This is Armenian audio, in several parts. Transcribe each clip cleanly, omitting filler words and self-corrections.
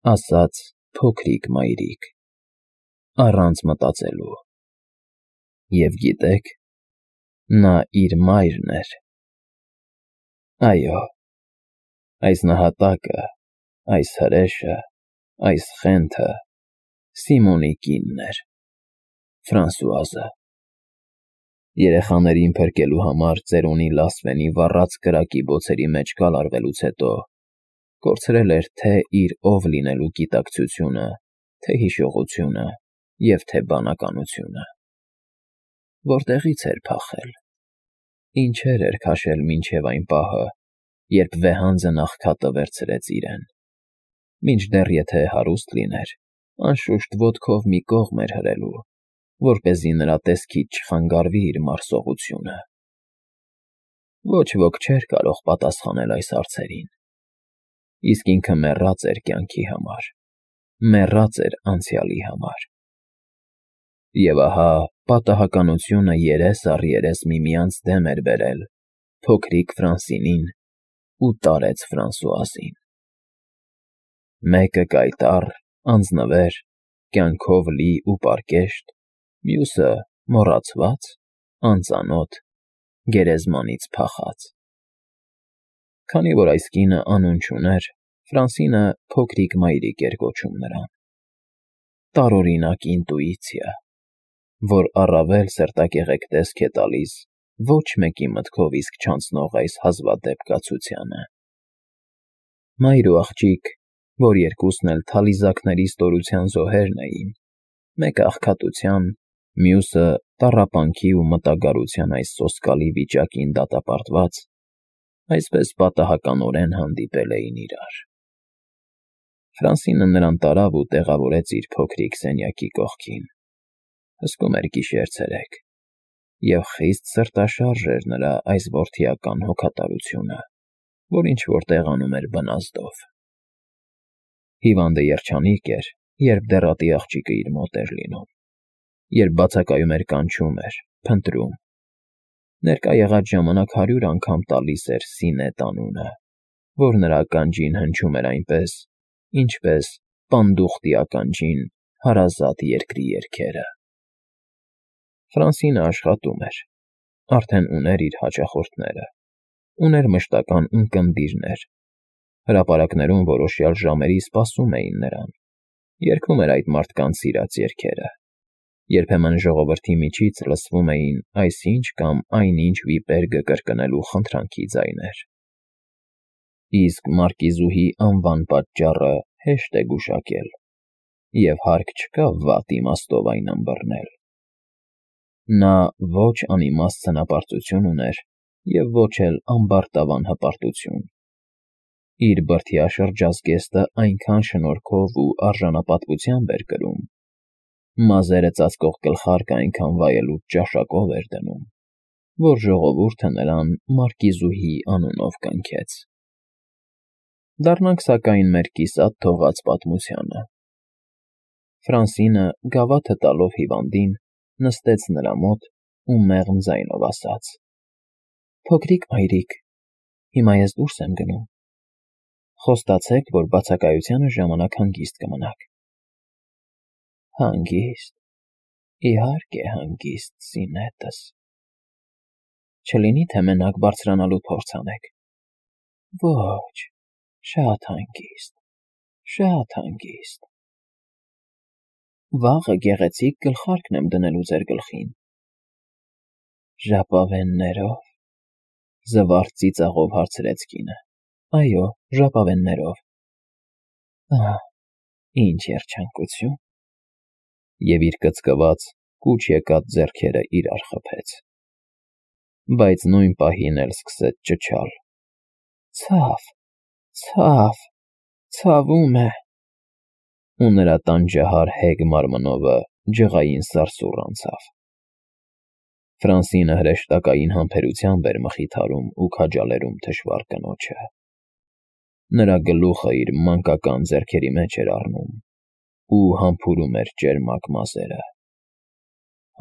Ասաց փոքրիկ մայրիկ, առանց մտածելու։ Եվ գիտեք, նա իր մայրն էր։ Այո, այս նահատակը, այս հրեշը, այս խենթը Սիմոնի կինն էր, Ֆրանսուազը։ Երեխաներին փրկելու համար ծերունի լասվենի վառած կրակի բոցերի մեջ կալարվելուց հետո կորցրել էր թե իր ով լինելու գիտակցությունը, թե հիշողությունը և թե բանականությունը։ Որտեղի՞ց էր փախել, ինչեր էր քաշել մինչև այն պահը, երբ վեհանձն աղքատը վերցրեց իրեն, մինչդեռ եթե հարուստ լիներ, անշուշտ ոտքով մի կողմ էր հրելու, որպեսզի նրա տեսքից չխանգարվի իր մարսողությունը։ Ոչ ոք չէր կարող պատասխանել այս հարցերին, իսկ ինքը մեռած էր կյանքի համար, մեռած էր անցյալի համար։ Եվ ահա պատահականությունը երես առ երես միմյանց դեմ էր բերել փոքրիկ Ֆրանսինին ու տարեց Ֆրանսուազին։ Մեկը կայտառ, անձնվեր, կյանքով լի ու պարկեշտ, մյուսը մոռացված, անծանոթ, գերեզմանից փախած։ Քանի որ այս կինը անուն չուներ, Ֆրանսինը փոքրիկ մայրիկ էր կոչում նրան։ Տարօրինակ ինտուիցիա, որ առավել սրտակեղեկ տեսք է տալիս ոչ մեկի մտքով իսկ չանցնող այս հազվադեպ կացությանը։ Մայր ու աղջիկ, որ երկուսն էլ թալիզակների ստորության զոհերն էին, մեկը աղքատության, մյուսը տառապանքի ու մտագարության այս սոսկալի վիճակին դատապարտված, այսպես պատահականորեն հանդիպել էին իրար։ Ֆրանսինը նրան տարավ ու տեղավորեց իր փոքրիկ սենյակի կողքին։ Հսկում էր գիշեր֊ցերեկ, և խիստ սրտաշարժ էր նրա այս որդիական հոգատարությունը, որ ինչ-որ տեղանում էր բնազդով։ Հիվանդը երջանիկ էր, երբ դեռատի աղջիկը իր մոտ էր լինում, երբ բացակայում էր կանչում էր, փնտրում։ Ներկա եղած ժամանակ 100 անգամ տալիս էր Սինետ անունը, որ նրա ականջին հնչում էր այնպես, ինչպես պանդուխտի ականջին հարազատ երկրի երգերը։ Ֆրանսինը աշխատում էր, արդեն ուներ իր հաճախորդները, ուներ մշտական ունկնդիրներ, հրապարակներում որոշյալ ժամերի սպասում էին նրան, երգում էր այդ մարդկանց սիրած երգերը, երբեմն ժողովրդի միջից լսվում էին այսինչ կամ այնինչ վիպերգը կրկնելու խնդրանքի ձայներ։ Իսկ մարկիզուհի անվան պատճառը հեշտ է գուշակել, և հարկ չկա վատ իմաստով այն ըմբռնել։ Նա ոչ անիմաստ ցնապարծություն ուներ և ոչ էլ ամբարտավան հպարտություն։ Իր բրդյա շրջազգեստը այնքան շնորհքով ու արժանապատվությամբ էր կրում, մազերը ծածկող գլխարկը այնքան վայելուչ ճաշակով էր դնում, որ ժողովուրդը նրան Մարկիզուհի անունով կնքեց։ Դառնանք սակայն մեր կիսատ թողած պատմությանը։ Ֆրանսինը, գավաթը տալով հիվանդին, նստեց նրա մոտ ու մեղմ ձայնով ասաց. «Փոքրիկ մայրիկ, հիմա ես դուրս եմ գնում։ Խոստացեք, որ բացակայությանը ժամանակ հանգիստ կմնաք»։ Հանգիստ, իհարկե հանգիստ, Սինետս։ Չլինի՞ թե մենակ բարձրանալու փորձ անեք։ Ոչ, շատ հանգիստ, շատ հանգիստ։ Վաղը գեղեցիկ գլխարկ եմ դնելու ձեր գլխին։ Ժապավեններո՞վ, զվարթ ծիծաղով հարցրեց կինը։ Այո, ժապավեններով։ Ահ, ինչ երջանկություն։ Եվ իր կծկված, կուչ եկած ձեռքերը իրար խփեց։ Բայց նույն պահին էլ սկսեց ճչալ. Ցավ, ցավ, ցավում է։ Ու նրա տանջահար հեգ մարմնովը ջղային սարսուռ անցավ։ Ֆրանսինը հրեշտակային համբերությամբ էր մխիթարում ու քաջալերում թշվառ կնոջը։ Նրա գլուխը իր մանկական ձեռքերի մեջ էր առնում ու համբուրում էր ճերմակ մազերը։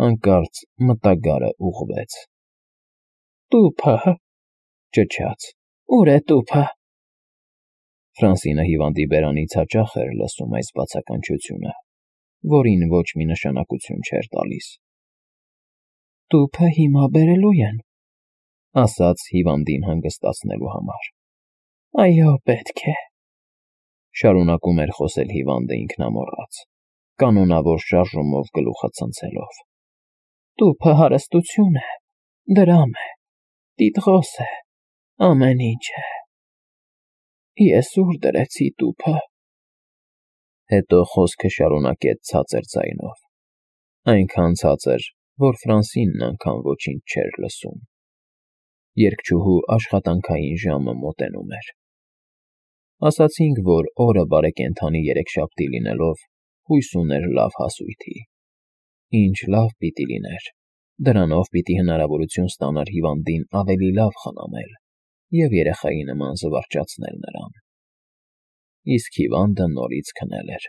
Հանկարծ մտագարը ուղղվեց։ Տուփը, ճչաց, ո՞ւր է տուփը։ Ֆրանսինը հիվանդի բերանից հաճախ էր լսում այս բացականչությունը, որին ոչ մի նշանակություն չէր տալիս։ «Տուփը հիմա բերելու են», ասաց հիվանդին հանգստացնելու համար։ «Այո, պետք է», շարունակում էր խոսել հիվանդը ինքնամոռաց, կանոնավոր շարժումով գլուխը ցնցելով։ «Տուփը հարստություն է, դրամ է, տիտղոս է, ամեն ինչ է։ Ես ուր դրեցի տուփը»։ Հետո խոսքը շարունակեց ցածր ձայնով, այնքան ցածր, որ Ֆրանսինն անգամ ոչինչ չէր լսում։ Երգչուհու աշխատանքային ժամը մոտենում էր։ Ասացինք, որ օրը բարեկենդանի երեքշաբթի լինելով հույս ուներ լավ հասույթի։ Ինչ լավ պիտի լիներ, դրանով պիտի հնարավորություն ստանար հիվանդին ավելի լավ խնամել և երեխայի նման զվարճացնել նրան։ Իսկ հիվանդը նորից քնել էր։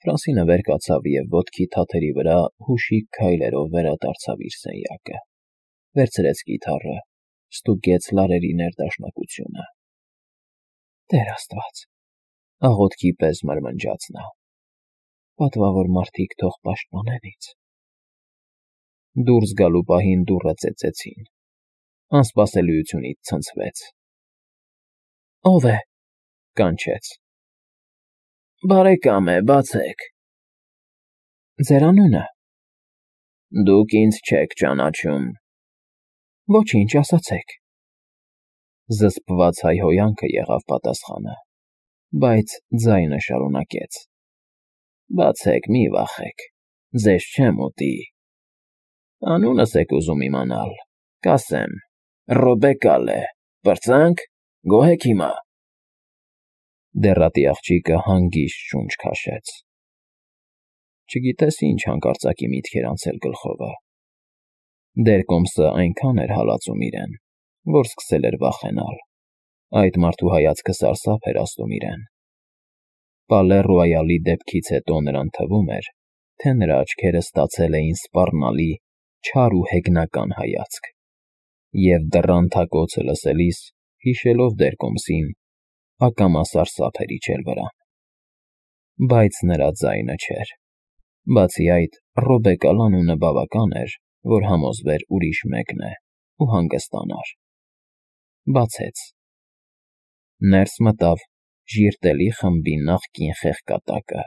Ֆրանսինը վեր կացավ և ոտքի թաթերի վրա հուշիկ քայլերով վերադարձավ իր սենյակը, վերցրեց կիթառը, ստուգեց լարերի ներդաշնակությունը։ «Տեր Աստված», աղոթքի պես մրմնջաց նա, «պատվավոր մարդիկ թող պաշտպանեն ինձ»։ Դուրս գալու պահին դուռը ծեծեցին։ Անսպասելիությունից ցնցվեց։ «Ո՞վ է»։ կանչեց։ «Բարեկամ է, բացեք»։ «Ձեր անունը»։ «Դուք ինձ չեք ճանաչում»։ «Ոչինչ, ասացեք»։ Զսպված հայհոյանքը եղավ պատասխանը, բայց ձայնը շարունակեց. «Բացեք, մի վախեք, ձեզ չեմ ուտի։ Անունս եք ուզում իմանալ, կասեմ, Ռոբեկալ է, պրծանք, գոհ եք հիմա»։ Դեռատի աղջիկը հանգիստ շունչ քաշեց։ Չգիտես ինչ հանկարծակի միտքեր անցել գլխովը։ Դերկոմսը այնքան էր հալածում իրեն, որ սկսել էր վախենալ։ Այդ մարդու հայացքը սարսափ էր ազդում իրեն։ Պալե Ռոյալի դեպքից հետո նրան թվում էր, թե նրա աչքերը ստացել էին սպառնալի, չար ու հեգնական հայացք, և դռան թակոցը լսելիս, հիշելով դերկոմսին, ակամա սարսափ էր իջել վրան։ Բայց նրա ձայնը չէր։ Բացի այդ, Ռոբեկալ անունը բավական էր, որ համոզվեր ուրիշ մեկն է ու հանգստանար։ Բացեց։ Ներս մտավ ժիրտելի խմբի նախկին խեղկատակը։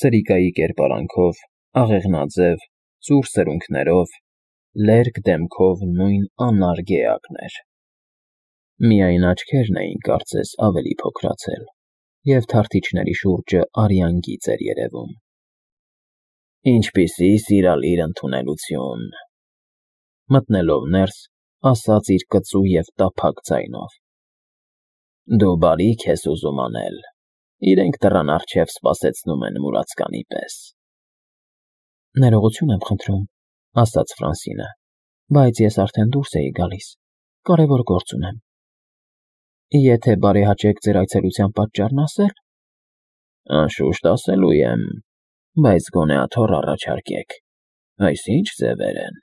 Սրիկայի կերպարանքով, աղեղնաձև, ծուռ սրունքներով, լերկ դեմքով նույն անարգ էակն էր։ Միայն աչքերն էին կարծես ավելի փոքրացել, և թարթիչների շուրջը արյան գիծ էր երևում։ «Ինչպիսի սիրալիր ընդունելություն», մտնելով ներս, ասաց իր կծու և տափակ ձայնով։ «Դու բարիք ես ուզում անել, իրենք դռան առջև սպասեցնում են մուրացկանի պես»։ «Ներողություն եմ խնդրում», ասաց Ֆրանսինը, «բայց ես արդեն դուրս էի գալիս, կարևոր գործ ունեմ»։ «Եթե բարեհաճեք ձեր այցելության պատճառն ասել»։ «Անշուշտ ասելու եմ, բայց գոնե աթոռ առաջարկեք, այս ի՞նչ ձևեր են»։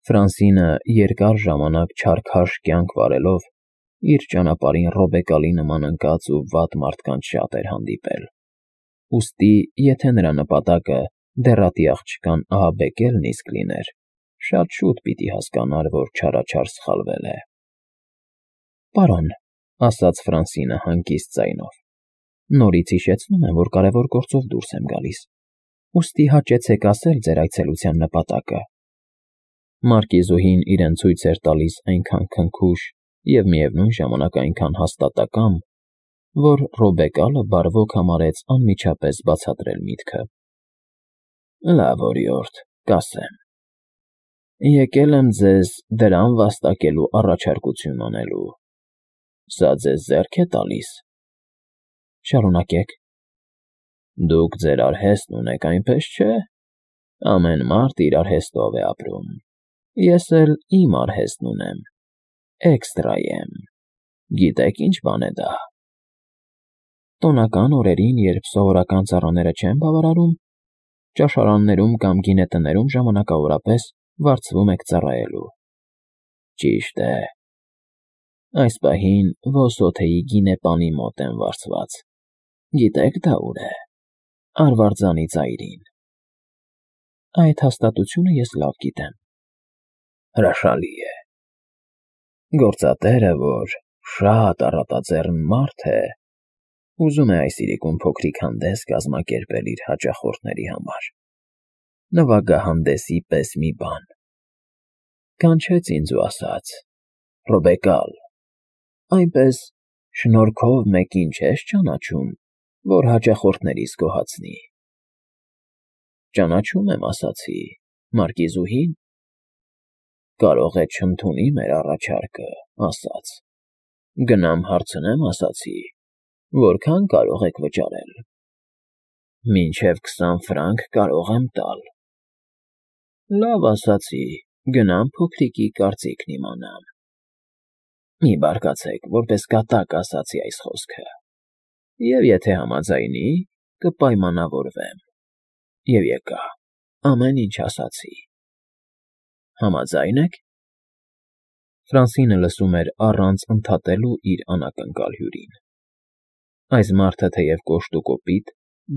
Ֆրանսինը երկար ժամանակ չարքաշ կյանք վարելով, իր ճանապարհին Ռոբեկալի նման ընկած ու վատ մարդկանց շատ էր հանդիպել։ Ուստի, եթե նրա նպատակը դեռատի աղջկան ահաբեկելն իսկ լիներ, շատ շուտ պիտի հասկանար, որ չարաչար սխալվել է։ «Պարոն», ասաց Ֆրանսինը հանգիստ ձայնով, «նորից հիշեցնում եմ, որ կարևոր գործով դուրս եմ գալիս, ուստի հաճեցեք ասել ձեր այցելության նպատակը»։ Մարկիզուհին իրեն ցույց էր տալիս այնքան քնքուշ և միևնույն ժամանակ այնքան հաստատակամ, որ Ռոբեկալը բարվոք համարեց անմիջապես բացատրել միտքը։ «Լավ, օրիորդ, կասեմ. եկել եմ ձեզ դրամ վաստակելու առաջարկություն անելու։ Սա ձեզ ձեռք է տալիս»։ «Շարունակեք»։ «Դուք ձեր արհեստն ունեք, այնպես չէ։ Ամեն մարդ իր արհեստով է ապրում։ Ես էլ իմ արհեստն ունեմ, էքստրայեմ։ Գիտեք ինչ բան է դա»։ «Տոնական օրերին, երբ սովորական ծառաները չեն բավարարում, ճաշարաններում կամ գինետներում ժամանակավորապես վարձվում եք ծառայելու»։ «Ճիշտ է»։ Այս պահին ոսոթեի գինեպանի մոտ եմ վարձված։ Գիտեք դա ուր է։ Արվարձանի ծայրին։ Այդ հաստատությունը ես լավ գիտեմ։ Հրաշալի է։ Գործատերը, որ շատ առատաձեռն մարդ է, ուզում է այս իրիկուն փոքրիկ հանդես կազմակերպել իր հաճախորդների համար։ Նվագահանդեսի պես մի բան։ Կանչեց ինձ ու ասաց. «Ռոբեկալ, այնպես շնորհքով մեկին չես ճանաչում, որ հաճախորդներիս գոհացնի»։ Ճանաչում եմ, ասացի, Մարկիզուհին։ Կարող է չընդունի մեր առաջարկը, ասաց։ Գնամ հարցնեմ, ասացի, որքան կարող եք վճարել։ Մինչև 20 ֆրանկ կարող եմ տալ։ Լավ, ասացի, գնամ փոքրիկի կարծիքն իմանամ։ Մի բարկացեք, որպես կատակ ասացի այս խոսքը։ Եվ եթե համաձայնի, կպայմանավորվեմ։ Եվ եկա, ամեն ինչ ասացի։ Համաձայն եք։ Ֆրանսինը լսում էր առանց ընդհատելու իր անակնկալ հյուրին։ Այս մարդը թեև կոշտ ու կոպիտ,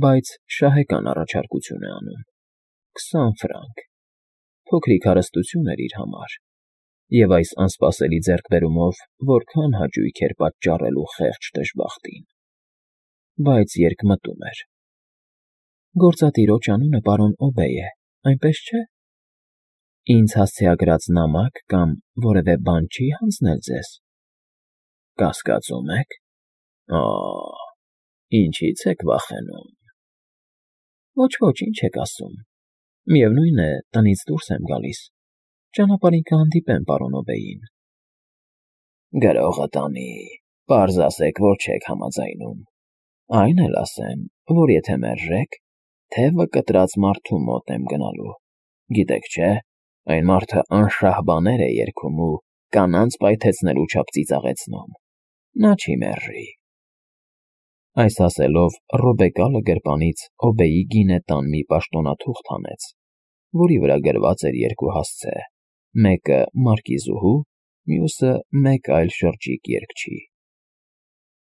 բայց շահեկան առաջարկություն է անում։ 20 ֆրանկ։ Փոքրիկ հարստություն էր իր համար։ Եվ այս անսպասելի ձեռքբերումով որքան հաճույք էր պատճառելու խեղճ դժբախտին։ Բայց երկմտում էր։ Գործատիրոջ անունը պարոն Օբեյ է, այնպես չէ։ Ինձ հասցեագրած նամակ կամ որևէ բան չի հանձնել ձեզ։ Կասկածում եք։ Ինչի՞ց եք վախենում։ Ոչ, ինչ եք ասում։ Միևնույն է, տնից դուրս եմ գալիս։ Ճանապարհին կհանդիպեմ պարոն Օբեյին։ Գրողը տանի, պարզ ասեք, որ չեք համաձայնում։ Այն էլ ասեմ, որ եթե մերժեք, թևը կտրած մարդու մոտ եմ գնալու։ Գիտեք չէ, այն մարդը անշահ բաներ է երգում ու կանանց պայթեցնելու չափ ծիծաղեցնում։ Նա չի մերժի։ Այս ասելով Ռոբեկալը գրպանից Օբեյի գինետան մի պաշտոնաթուղթ հանեց, որի վրա գրված էր երկու հասցե, մեկը Մարկիզուհու, մյուսը մեկ այլ շրջիկ երգչի։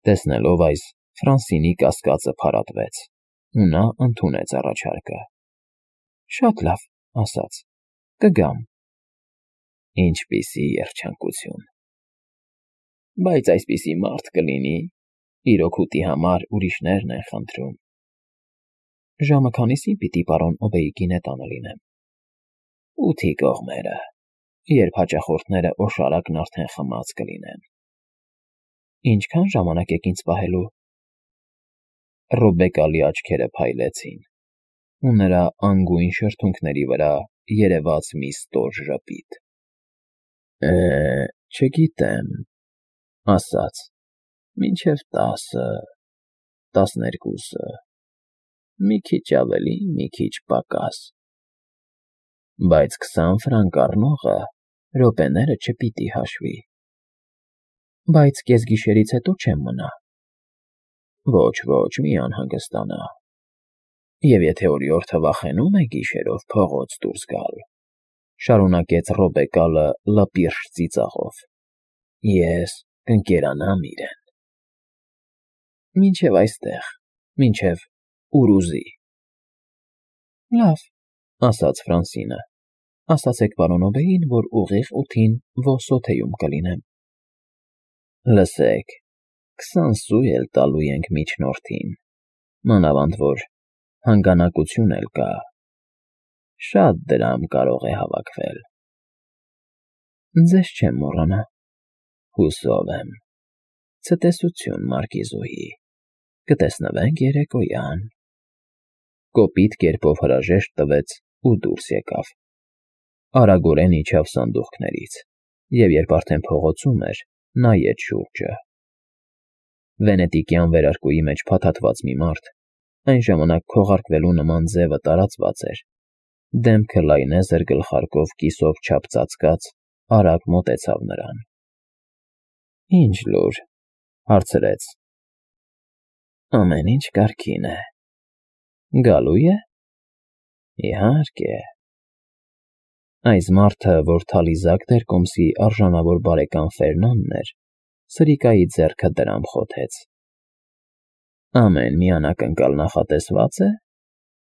Տեսնելով այս, Ֆրանսինի կասկածը փարատվեց, ու նա ընդունեց առաջարկը։ Շատ լավ, ասաց, կգամ։ Ինչպիսի երջանկություն։ Բայց այսպիսի մարդ կլինի, իր օգուտի համար ուրիշներն են խնդրում։ Ժամը քանիսին պիտի պարոն Օբեյի գինետանը լինեմ։ 8-ի կողմերը, երբ հաճախորդները օշարակն արդեն խմած կլինեն։ Ինչքան ժամանակ եք ինձ պահելու։ Ռոբեկալի աչքերը փայլեցին, ու նրա անգույն շրթունքների վրա երևաց մի ստոր ժպիտ։ Չգիտեմ, ասաց, մինչև 10-ը, 12-ը, մի քիչ ավելի, մի քիչ պակաս։ Բայց 20 ֆրանկ առնողը րոպեները չպիտի հաշվի։ Բայց կեսգիշերից հետո չեմ մնա։ Ոչ, մի անհանգստանա։ Եվ եթե օրիորդը վախենում է գիշերով փողոց դուրս գալ, շարունակեց Ռոբեկալը լպիրշ ծիծաղով, ես կընկերանամ իրեն։ Մինչև այստեղ, մինչև ուր ուզի։ Լավ, ասաց Ֆրանսինը, ասացեք պարոն Օբեյին, որ ուղիղ 8-ին Վոսոթեյում կլինեմ։ Լսեք, 20 սու էլ տալու ենք միջնորդին, մանավանդ որ հանգանակություն էլ կա։ Շատ դրամ կարող է հավաքվել։ Ձեզ չեմ մոռանա։ Հուսով եմ։ Ցտեսություն, Մարկիզուհի։ Կտեսնվենք երեկոյան։ Կոպիտ կերպով հրաժեշտ տվեց ու դուրս եկավ։ Արագորեն իջավ սանդուղքներից, և երբ արդեն փողոցում էր, նայեց շուրջը։ Վենետիկյան վերարկուի մեջ փաթաթված մի մարդ, այն ժամանակ քողարկվելու նման ձևը տարածված էր, դեմքը լայնեզր գլխարկով կիսով չափ ծածկած, արագ մոտեցավ նրան։ Ինչ լուր, հարցրեց։ Ամեն ինչ կարգին է։ Գալու է։ Իհարկե։ Այս մարդը, որ թալիզակ դերկոմսի արժանավոր բարեկամ Ֆերնանն էր, Սրիկայի ձեռքը դրամ խոթեց։ Ամեն մի անակնկալ նախատեսվա՞ծ է,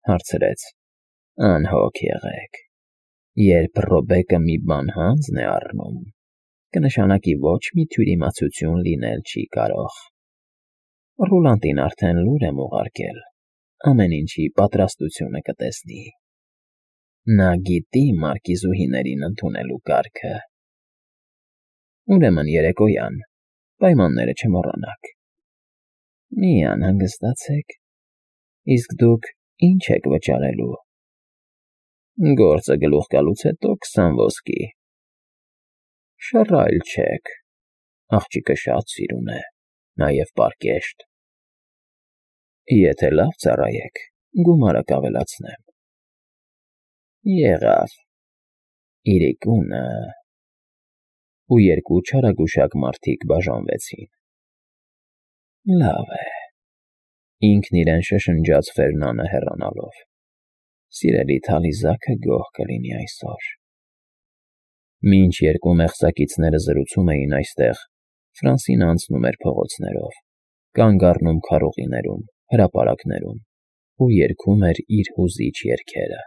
հարցրեց։ Անհոգ եղեք։ Երբ Ռոբեկը մի բան հանձն է առնում, կնշանակի ոչ մի թյուրիմացություն լինել չի կարող։ Ռուլանտին արդեն լուր եմ ուղարկել, ամեն ինչի պատրաստությունը կտեսնի։ Նա գիտի մարկիզուհիներին ընդունելու կարգը։ Ուրեմն երեկոյան, պայմանները չմոռանաք։ Մի անհանգստացեք, իսկ դուք ինչ եք վճարելու։ Գործը գլուխ գալուց հետո 20 ոսկի։ Շռայլ չեք, աղջիկը շատ սիրուն է, նաև պարկեշտ։ Եթե լավ ծառայեք, գումարը կավելացնեմ։ Եղավ։ Իրիկունը… Ու երկու չարագուշակ մարդիկ բաժանվեցին։ Լավ է։ Ինքն իրեն շշնջաց Ֆերնանը հեռանալով։ Սիրելի թալիզակը գոհ կլինի այսօր։ Մինչ երկու մեղսակիցները զրուցում էին այստեղ, Ֆրանսինը անցնում էր փողոցներով, կանգ առնում քարոզիներում, հրապարակներում ու երգում էր իր հուզիչ երգերը։